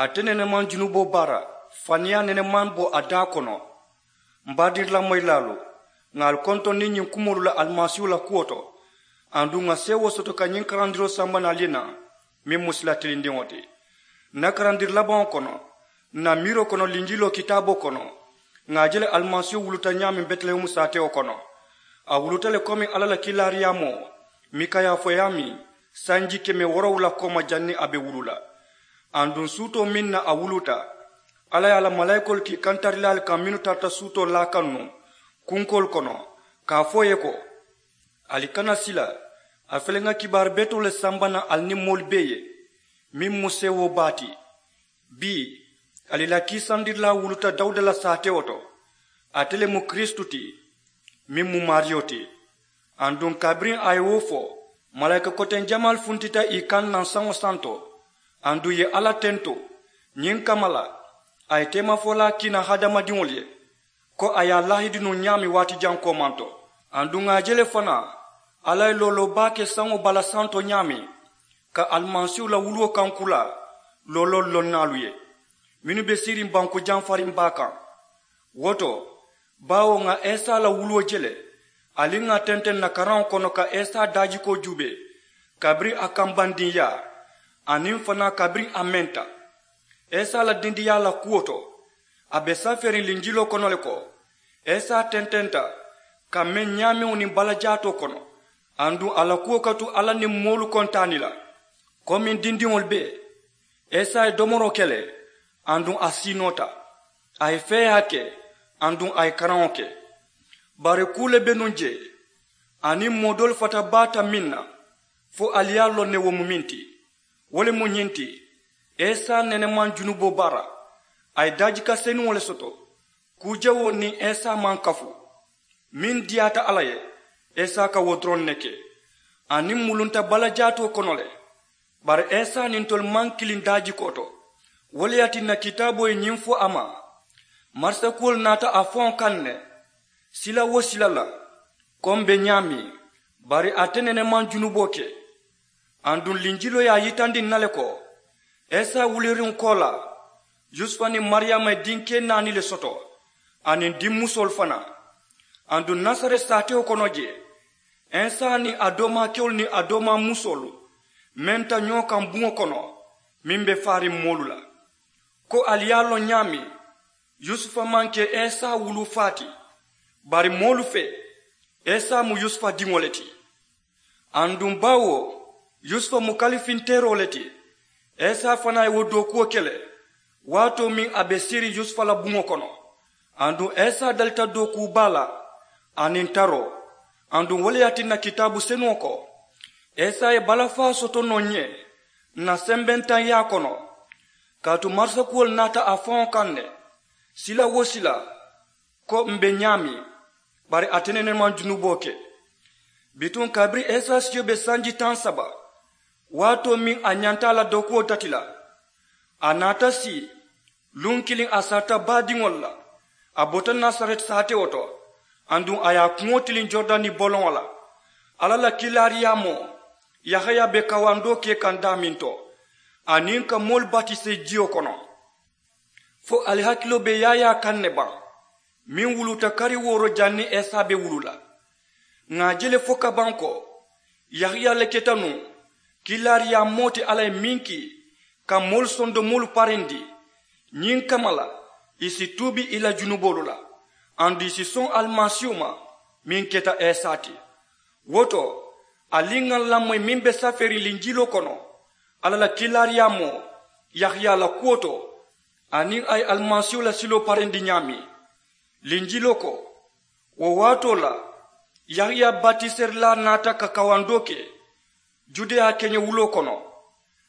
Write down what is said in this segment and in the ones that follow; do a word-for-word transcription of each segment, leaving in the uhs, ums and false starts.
Ate nene maŋ junuboo baara, faniyaa nene maŋ bo a daa kono. M baadirilamoyilaalu, ŋà ali kontondi ñiŋ kumoolu la alimasiihu la kuwo to. Aduŋ ŋà seewoo soto ka ñiŋ karandiroo samba naŋ ali ye naa, meŋ mu sila tilindiŋo ti. N na karandiri labaŋo kono, n na miiroo kono linjiloo kitaaboo kono, ŋà a je le alimasiihu wuluta ñaameŋ betilehemu saatewo kono. A wuluta le komi alla la kiilaariyaamoo, mika ye a fo ye a miŋ, sanji keme woorowula kooma janniŋ a be wulu la. Aduŋ suutoo meŋ na a wuluta, alla ye a la malaayikoolu ke kantarilaalu kaŋ mennu tarata suutoo laa kaŋ nuŋ kunkoolu kono, ka a fo ì ye ko, ali kana sila. A fele ŋa kibaari betoo le samba naŋ ali niŋ moolu bee ye, meŋ mu seewoo baa ti. Bii, ali la kiisandirilaa wuluta dawuda la saatewo to. Ate le mu kiristu ti, meŋ mu maariyo ti. Aduŋ kabiriŋ a ye wo fo, malaayika koteŋ jamaalu funtita ì kaŋ naŋ saŋo santo. Aduŋ ì ye alla tento. Ñiŋ kamma la, a ye teemafolaa kiina hadamadiŋolu ye, ko a ye a laahidi nuŋ ñaameŋ waati jaŋ koomanto. Aduŋ ŋà a je le fanaa, alla ye looloo baa ke saŋo bala santo ñaameŋ, ka alimasiihu la wuluwo kaŋ kulaa looloolu loŋ naalu ye, mennu be siiriŋ banku jamfariŋ baa kaŋ. Wo to, baawo ŋà isa la wuluwo je le, aniŋ ŋà tenteŋ n na karaŋo kono ka isa daajikoo juubee, kabiriŋ a kambandiŋyaa, aniŋ fanaa kabiriŋ a menta. Isa la dindiyaa la kuwo to, a be safeeriŋ linjiloo kono le ko, isa tententa ka meŋ ñaameŋo niŋ balajaatoo kono, aduŋ a la kuwo ka tu alla niŋ moolu kontaani la. Komiŋ dindiŋolu bee, isa ye domoroo ke le, aduŋ a siinoota, a ye feeyaa ke, aduŋ a ye karaŋo ke. Bari kuu le be nuŋ jee, aniŋ moo doolu fata baata meŋ na, fo ali ye a loŋ ne wo mu meŋ ti. Wo le mu ñiŋ ti, isa nene maŋ junuboo baara, a ye daajika senuŋo le soto. Kuu jawoo niŋ isa maŋ kafu, meŋ diyaata alla ye, isa ka wo doroŋ ne ke. Aniŋ mulunta balajaatoo kono le, bari isa niŋ ntolu maŋ kiliŋ daajikoo to. Wo le ye a tinna kitaaboo ye ñiŋ fo a ma, marisakuwolu naata a faŋo kaŋ ne, sila wo sila la, ko m be ñaameŋ, bari ate nene maŋ junuboo ke. Aduŋ linjiloo ye a yitandi n na le ko, isa wuliriŋo koolaa, yusufa niŋ mariyaama ye dinkee naani le soto, aniŋ dimmusoolu fanaa. Aduŋ nasareti saatewo kono jee, isa niŋ a doomaakeolu niŋ a doomaa musoolu menta ñoo kaŋ buŋo kono, meŋ be faariŋ moolu la. Ko ali ye a loŋ ñaameŋ, yusufa maŋ ke isa wuluu faa ti, bari moolu fee, isa mu yusufa diŋo le ti. Aduŋ baawo yusufa mu kalifinteeroo le ti, isa fanaa ye wo dookuwo ke le, waatoo meŋ a be siiriŋ yusufa la buŋo kono. Aduŋ isa dalita dookuu baa la, aniŋ taroo. Aduŋ wo le ye a tinna kitaabu senuŋo ko, isa ye balafaa soto noo ǹ ye ǹ na sembentaŋyaa kono. Kaatu marisakuwolu naata a faŋo kaŋ ne, sila wo sila, ko m be ñaameŋ, bari ate nene maŋ junuboo ke. Bituŋ kabiriŋ isa siyo be sanji taŋ saba, waatoo meŋ a ñanta a la dookuwo dati la, a naata sii. Luŋ kiliŋ a sarata baadiŋolu la, a bota nasareti saatewo to, aduŋ a ye a kuŋo tiliŋ joridani boloŋo la, alla la kiilaariyaamoo, yahaya be kawandoo ke kaŋ daameŋ to, aniŋ ka moolu batisee jiyo kono. Fo ali hakiloo be yaayaa kaŋ ne baŋ, meŋ wuluta kari wooro janniŋ isa be wulu la? Ŋà a je le fo ka baŋ ko, yahaya le keta nuŋ kiilaariyaamoo ti alla ye meŋ kii, ka moolu sondomoolu parendi. Ñiŋ kamma la, ì si tuubi ì la junuboolu la, aduŋ ì si soŋ alimasiihu ma, meŋ keta isa ti. Wo to, ali ŋà ǹ lamoyi meŋ be safeeriŋ linjiloo kono, alla la kiilaariyaamoo, yahaya la kuwo to, aniŋ a ye alimasiihu la siloo parendi ñaameŋ. Linjiloo ko, wo waatoo la, yahaya batiserilaa naata ka kawandoo ke judeya keñewuloo kono,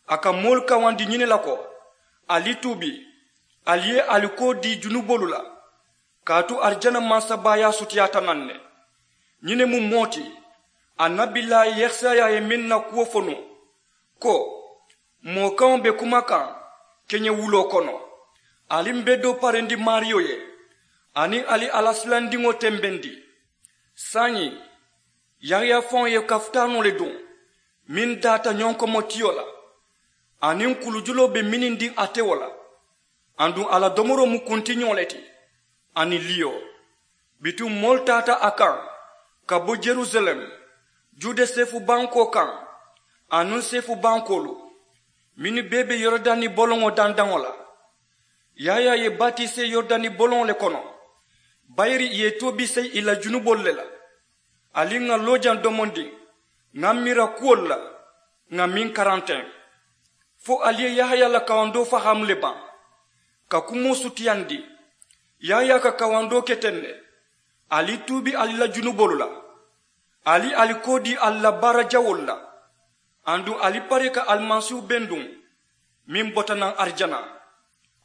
a ka moolu kawandi ñiŋ ne la ko, ali tuubi, ali ye ali koo dii junuboolu la, kaatu arijana mansabaayaa sutiyaata naŋ ne. Ñiŋ ne mu moo ti, annabilaayi yesaya ye meŋ na kuwo fo nuŋ, ko, moo kaŋo be kuma kaŋ keñewuloo kono, ali m be doo parendi maariyo ye, aniŋ ali alla silandiŋo tembendi. Saayiŋ, yahaya faŋo ye kafutaanoo le duŋ, meŋ daata ñonkomotiyo la, aniŋ kulujuloo be minindiŋ a tewo la. Aduŋ a la domoroo mu kuntiñoo le ti aniŋ liyo. Bituŋ moolu taata a kaŋ ka bo jerusalem, jude seefu bankoo kaŋ, aniŋ seefu bankoolu mennu bee be yoridani boloŋo dandaŋo la. Yaayaa ye batisee yoridani boloŋo le kono, bayiri ì ye tuubi seyi ì la junuboolu le la. Ali ŋà loojaŋ domondiŋ ŋà miira kuwolu la, ŋà meŋ karanteŋ fo ali ye yahaya la kawandoo fahaamu le baŋ. Ka kumoo sutiyandi, yahaya ka kawandoo ke teŋ ne. Ali tuubi ali la junuboolu la, ali ali koo dii ali la baara jawoolu la. Aduŋ ali pari ka alimasiihu benduŋ meŋ bota naŋ arijana.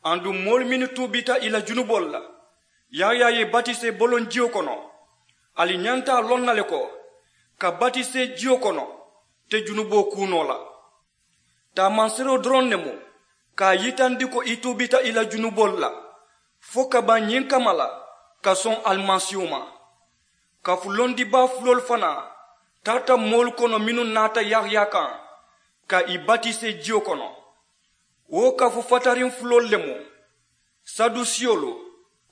Aduŋ moolu mennu tuubita ì la junuboolu la, yaayaa ye batisee boloŋ jiyo kono. Ali ñanta a loŋ na le ko ka batisee jiyo kono te junuboo kuu noo la. Taamanseeroo doroŋ ne mu ka a yitandi ko i tuubita i la junuboolu la fo ka baŋ ñiŋ kamma la ka soŋ alimasiihu ma. Kafu londibaa fuloolu fanaa taata moolu kono mennu naata yahaya kaŋ ka ì batisee jiyo kono. Wo kafu fatariŋ fuloolu le mu sadusiyolu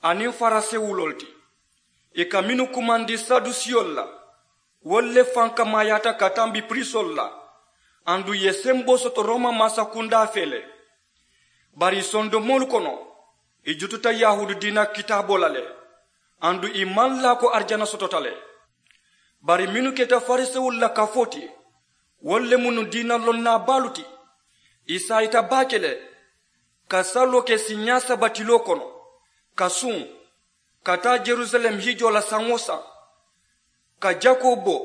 aniŋ farisewuloolu ti. Ì ka mennu kumandi sadusiyolu la, wolu le fankamaayaata ka tambi pirisoolu la. Aduŋ ì ye semboo soto rooma mansakundaa fee le. Bari ì sondomoolu kono ì jututa yahuudi diina kitaaboo la le. Aduŋ ì maŋ laa ko arijana sotota le. Bari mennu keta farisewolu la kafoo ti, wolu le mu nuŋ diina lonnaa baalu ti. Ì saayita baake le ka saloo ke siiñaa saba tiloo kono, ka suŋ ka taa jerusalem hijoo la saŋ-wo-saŋ, ka jakoo bo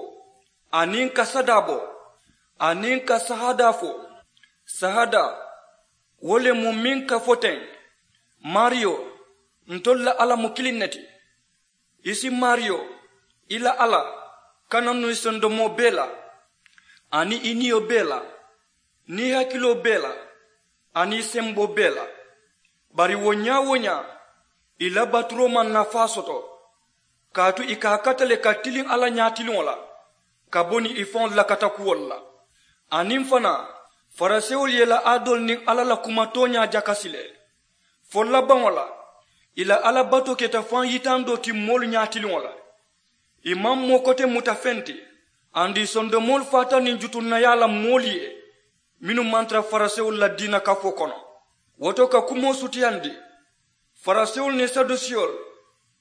aniŋ ka sadaa bo aniŋ ka sahadaa fo. Sahadaa wo le mu meŋ ka fo teŋ, maariyo, ntolu la alla mu kiliŋ ne ti. I si maariyo, i la alla, kana nuŋ i sondomoo bee la, aniŋ i niyo bee la, niŋ i hakiloo bee la, aniŋ i semboo bee la. Bari wo ñaa-wo-ñaa ì la baturoo maŋ nafaa soto, kaatu ì ka a kata le ka tiliŋ alla ñaatiliŋo la ka bo niŋ ì faŋolu la katakuwolu la. Aniŋ fanaa, farisewolu ye ì la aadoolu niŋ alla la kuma tooñaa jakasi le. Fo labaŋo la, ì la alla batoo keta faŋ yitandoo ti moolu ñaatiliŋo la. Ì maŋ moo kote muta feŋ ti. Aduŋ ì sondomoolu faata niŋ jutunnayaa la moolu ye mennu maŋ tara farisewolu la diina kafoo kono. Wo to ka kumoo sutiyandi, farisewolu niŋ sadusiyolu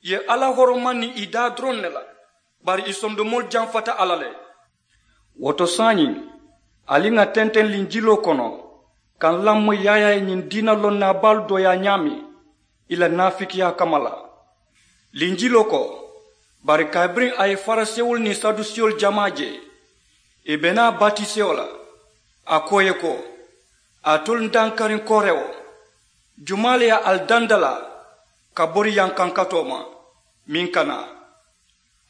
ye alla horoma niŋ ì daa doroŋ ne la. Bari ì sondomoolu jamfata alla le. Wo to saayiŋ, ali ŋà tenteŋ linjiloo kono ka ǹ lamoyi yaayaa ye ñiŋ diina lonnaa baalu dooyaa ñaameŋ ì la naafikiyaa kamma la. Linjiloo ko, bari kabiriŋ a ye farisewolu niŋ sadusiyolu jamaa je, ì be naa batisewo la, a ko ì ye ko, alitolu ǹ dankariŋ koorewo, jumaa le ye ali dandalaa ka bori yankankatoo ma meŋ ka naa?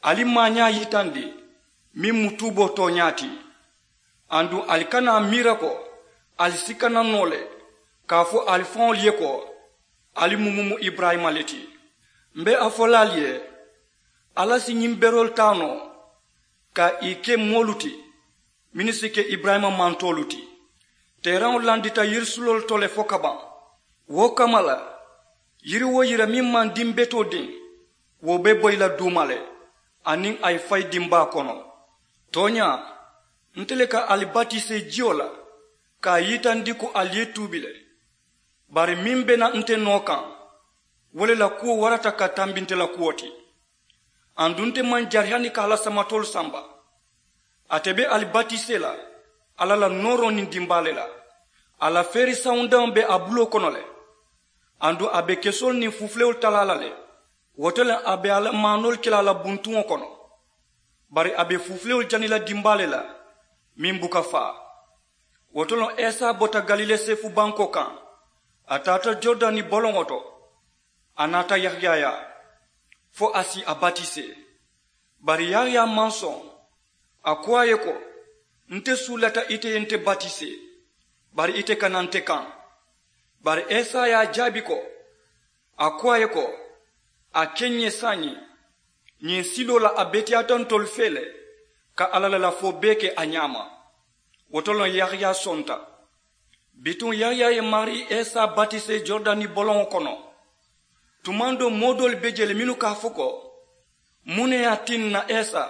Ali maañaa yitandi meŋ mu tuuboo tooñaa ti. Aduŋ ali kana a miira ko ali si kana noo le ka a fo ali faŋolu ye ko, ali mu mumu iburayima le ti. M̀ be a fo la ali ye, alla si ñiŋ beroolu taa noo ka ì ke moolu ti mennu si ke iburayima mantoolu ti. Teeraŋo landita yirisuloolu to le fo ka baŋ. Wo kamma la, yiri-wo-yiri meŋ maŋ dimbetoo diŋ, wo be boyi la duuma le, aniŋ a ye fayi dimbaa kono. Tooñaa, nte le ka ali batisee jiyo la ka a yitandi ko ali ye tuubi le. Bari meŋ be na nte noo kaŋ, wo le la kuwo warata ka tambi nte la kuwo ti. Aduŋ nte maŋ jari hani ka a la samatoolu samba. Ate be ali batisee la alla la nooroo niŋ dimbaa le la. A la feeri sawundaŋo be a buloo kono le. Aduŋ a be kesoolu niŋ fuufulewolu talaa la le. Wo to le a be a la maanoolu ke la a la buntuŋo kono. Bari a be fuufulewolu jani la dimbaa le la meŋ buka faa. Wo to loŋ esa bota galile seefu bankoo kaŋ, a taata joridani boloŋo to. A naata yahaya yaa fo a si a batisee. Bari yahaya maŋ soŋ. A ko a ye ko, nte suulata ite ye nte batisee, bari ite kana nte kaŋ. Bari esa ye a jaabi ko, a ko a ye ko, a ke ǹ ye saayiŋ, ñiŋ siloo la a beteyaata ntolu fee le ka alla la lafoo bee ke a ñaama. Wo to loŋ yahaya sonta. Bituŋ yahaya ye maarii isa batisee joridani boloŋo kono. Tumaŋ doo moo doolu be je le mennu ka a fo ko, muŋ ne ye a tinna isa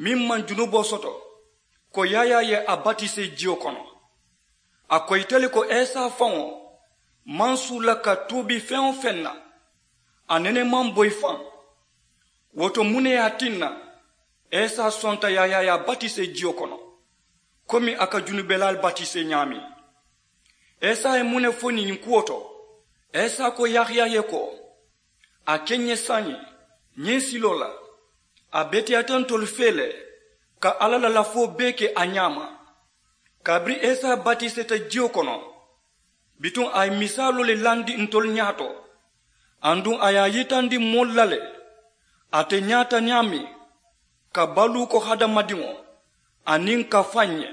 meŋ maŋ junuboo soto, ko yahaya ye a batisee jiyo kono? A ko ite le ko isa faŋo maŋ suu la ka tuubi feŋ-wo-feŋ na, a nene maŋ boyi faŋ. Wo to muŋ ne ye a tinna isa sonta yahaya ye a batisee jiyo kono, komi a ka junubelaalu batisee ñaameŋ? Isa ye muŋ ne fo ñiŋ kuwo to? Isa ko yahaya ye ko, a ke n ye saayiŋ ñiŋ siloo la, a beteyaata ntolu fee le ka alla la lafoo bee ke a ñaama. Kabiriŋ isa batiseeta jiyo kono, bituŋ a ye misaaloo le landi ntolu ñaato, aduŋ a ye a yitandi moolu la le ate ñaata ñaameŋ ka baluu ko hadamadiŋo aniŋ ka faŋ ñe.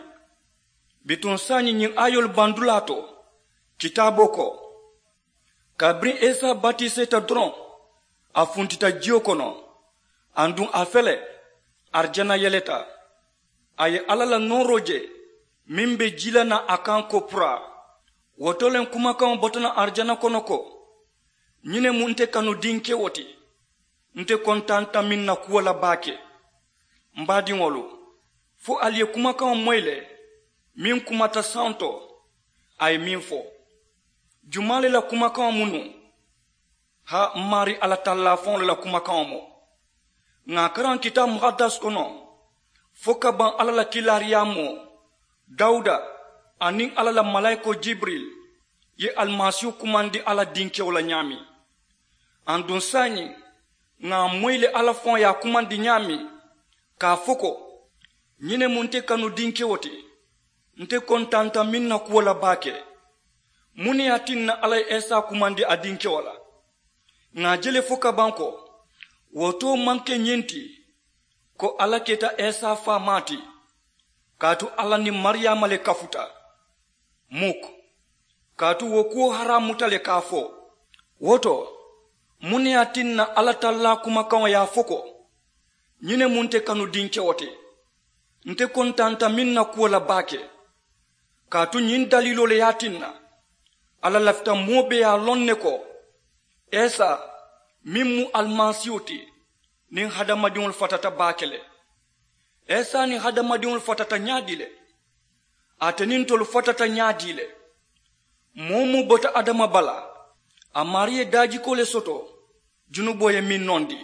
Bituŋ saayiŋ ñiŋ aayoolu bandulaa to, kitaaboo ko, kabiriŋ isa batiseeta doroŋ, a funtita jiyo kono, aduŋ a fele, arijana yeleta. A ye alla la nooroo je meŋ be jii la naŋ a kaŋ ko puraa. Wo to le kumakaŋo bota naŋ arijana kono ko, ñiŋ ne mu nte kanu dinkewo ti, nte kontaanta meŋ na kuwo la baake. M baadiŋolu, fo ali ye kumakaŋo moyi le meŋ kumata santo, a ye meŋ fo. Jumaa le la kumakaŋo mu nuŋ? Haa, m maarii alla tallaa faŋo le la kumakaŋo mu. Ŋà a karaŋ kitaabu muhaddas kono fo ka baŋ alla la kiilaariyaamoo dawuda aniŋ alla la malaayikoo jibiril ye alimasiihu kumandi alla dinkewo la ñaameŋ. Aduŋ saayiŋ ŋà a moyi le alla faŋo ye a kumandi ñaameŋ, ka a fo ko, ñiŋ ne mu nte kanu dinkewo ti, nte kontaanta meŋ na kuwo la baake. Muŋ ne ye a tinna alla ye isa kumandi a dinkewo la? Ŋà a je le fo ka baŋ ko, wo too maŋ ke ñiŋ ti, ko alla keta isa faamaa ti, kaatu alla niŋ mariyaama le kafuta. Muk, kaatu wo kuwo haraamuta le ka a fo. Wo to, muŋ ne ye a tinna alla tallaa kumakaŋo ye a fo ko, ñiŋ ne mu nte kanu dinkewo ti, nte kontaanta meŋ na kuwo la baake? Kaatu ñiŋ daliiloo le ye a tinna alla lafita moo bee ye a loŋ ne ko, isa meŋ mu alimasiihu ti, niŋ hadamadiŋolu fatata baake le. Isa niŋ hadamadiŋolu fatata ñaadii le? Ate niŋ ntolu fatata ñaadii le? Moo-wo-moo bota adama bala, a maarii ye daajikoo le soto, junuboo ye meŋ nondi.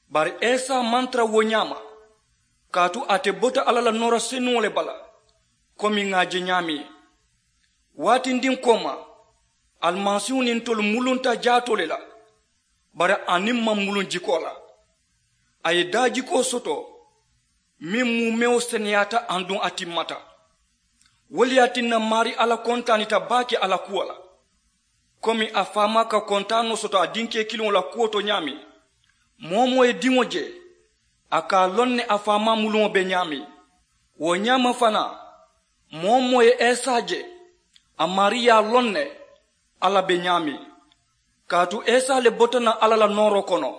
Bari isa maŋ tara wo ñaama, kaatu ate bota alla la noora senuŋo le bala, komi ŋà a je ñaameŋ. Waatindiŋ kooma, alimasiihu niŋ ntolu mulunta jaatoo le la, bari a niŋ maŋ muluŋ jikoo la. A ye daajikoo soto meŋ muumewo seneyaata aduŋ a timmata. Wo le ye a tinna maarii alla kontaanita baake a la kuwo la, komi a faamaa ka kontaanoo soto a dinkee kiliŋo la kuwo to ñaameŋ. Moo-wo-moo ye diŋo je, a ka a loŋ ne a faamaa muluŋo be ñaameŋ. Wo ñaama fanaa, moo-wo-moo ye isa je, a maarii ye a loŋ ne alla be ñaameŋ. Kaatu isa le bota naŋ alla la nooroo kono,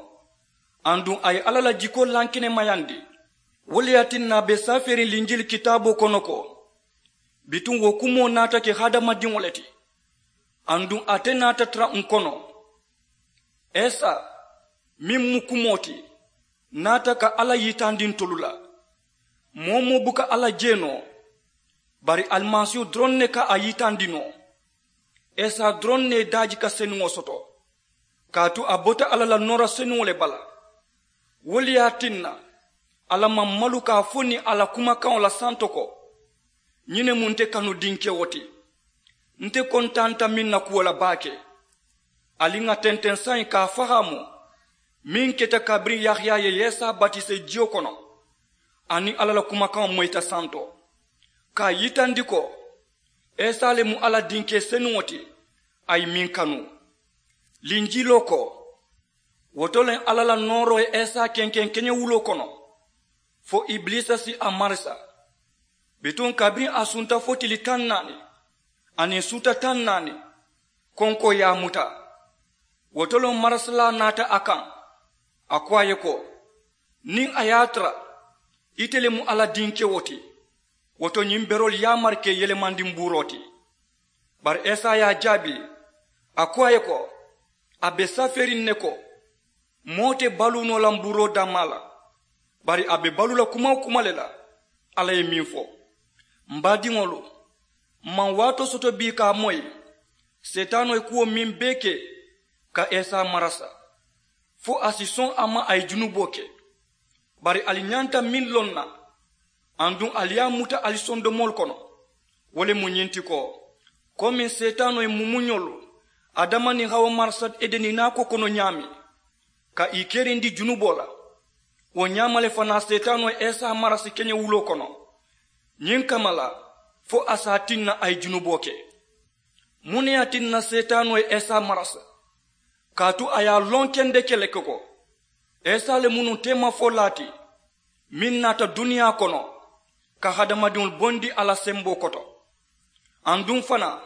aduŋ a ye alla la jikoo lankenemayandi. Wo le ye a tinna a be safeeriŋ linjili kitaaboo kono ko, bituŋ wo kumoo naata ke hadamadiŋo le ti, aduŋ ate naata tara ǹ kono. Isa meŋ mu kumoo ti, naata ka alla yitandi ntolu la. Moo-wo-moo buka alla je noo, bari alimasiihu doroŋ ne ka a yitandi noo. Isa doroŋ ne ye daajika senuŋo soto, kaatu a bota alla la noora senuŋo le bala. Wo le ye a tinna alla maŋ malu ka a fo niŋ a la kumakaŋo la santo ko, ñiŋ ne mu nte kanu dinkewo ti, nte kontaanta meŋ na kuwo la baake. Ali ŋà tenteŋ saayiŋ ka a fahaamu meŋ keta kabiriŋ yahaya ye isa batisee jiyo kono, aniŋ alla la kumakaŋo moyita santo, ka a yitandi ko isa le mu alla dinkee senuŋo ti, a ye meŋ kanu. Linjiloo ko, wo to le alla la nooroo ye isa kenkeŋ keñewuloo kono, fo ibiliisa si a marisa. Bituŋ kabiriŋ a sunta fo tili taŋ naani aniŋ suuta taŋ naani, konkoo ye a muta. Wo to le marasilaa naata a kaŋ, a ko a ye ko, niŋ a ye a tara ite le mu alla dinkewo ti, wo to ñiŋ beroolu yaamari ka i yelemandi mbuuroo ti. Bari isa ye a jaabi, a ko a ye ko, a be safeeriŋ ne ko, moo te baluu noo la mbuuroo dammaa la, bari a be baluu la kuma-wo-kuma le la. Alla ye meŋ fo, m baadiŋolu, m maŋ waatoo soto bii ka a moyi seetaanoo ye kuwo meŋ bee ke ka isa marasa, fo a si soŋ a ma a ye junuboo ke. Bari ali ñanta meŋ loŋ na, aduŋ ali ye a muta ali sondomoolu kono, wo le mu ñiŋ ti ko, komiŋ seetaanoo ye mumuñolu, adama niŋ hawa marasa edeni naakoo kono ñaameŋ, ka ì kerindi junuboo la, wo ñaama le fanaa seetaanoo ye isa marasi keñewuloo kono, ñiŋ kamma la, fo a si a tinna a ye junuboo ke. Muŋ ne ye a tinna seetaanoo ye isa marasa? Kaatu a ye a loŋ kendeke le ko, isa le mu nuŋ teemafolaa ti, meŋ naata duniyaa kono ka hadamadiŋolu bondi a la semboo koto. Aduŋ fanaa,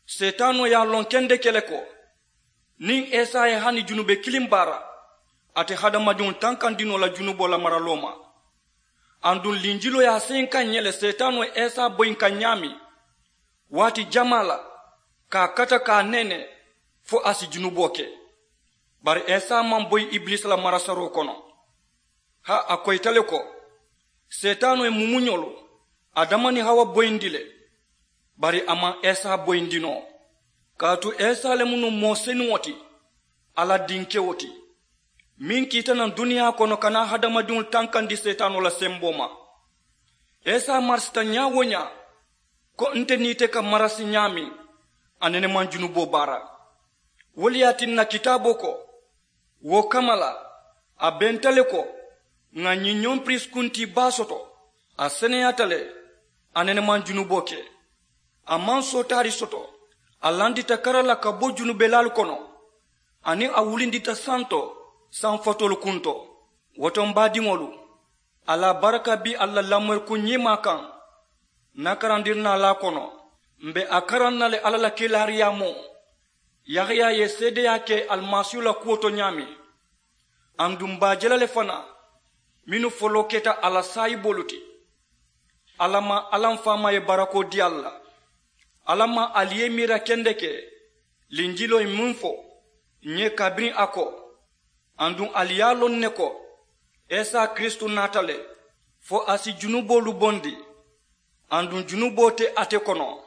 seetaanoo ye a loŋ kendeke le ko, niŋ isa ye hani junube kiliŋ baara, a te hadamadiŋolu tankandi noo la junuboo la maraloo ma. Aduŋ linjiloo ye a seyinka ǹ ye le seetaanoo ye isa boyinka ñaameŋ waati jamaa la, ka a kata ka a nene, fo a si junuboo ke. Bari isa maŋ boyi ibilisa la marasaroo kono. Haa, a koyita le ko, seetaanoo ye mumuñolu, adama niŋ hawa boyindi le, bari a maŋ isa boyindi noo. Kaatu isa le mu nuŋ moo senuŋo ti, alla dinkewo ti, meŋ kiita naŋ duniyaa kono ka naa hadamadiŋolu tankandi seetaanoo la semboo ma. Isa marisita ñaa-wo-ñaa, ko nte niŋ ite ka marasi ñaameŋ, a nene maŋ junuboo baara. Wo le ye a tinna kitaaboo ko, wo kamma la, a benta le ko, ŋà ñiŋ ñoŋ piriisi kuntii baa soto, a seneyaata le, a nene maŋ junuboo ke. A maŋ sootaari soto, a landita kara la ka bo junubelaalu kono, aniŋ a wulindita santo, saŋ fatoolu kunto. Wo to m baadiŋolu, a la baraka be ali la lamorikuŋ ñiimaa kaŋ. N na karandirinaalaa kono, m be a karaŋ na le alla la kiilaariyaamoo, yahaya ye seedeyaa ke alimasiihu la kuwo to ñaameŋ. Aduŋ m be a je la le fanaa, mennu foloo keta a la saayiboolu ti. Alla maŋ alla m faamaa ye barakoo dii ali la. Alla maŋ ali ye i miira kendeke linjiloo ye meŋ fo, ǹ ye kabiriŋ a ko. Aduŋ ali ye a loŋ ne ko, isa kiristu naata le, fo a si junuboolu bondi. Aduŋ junuboo te ate kono,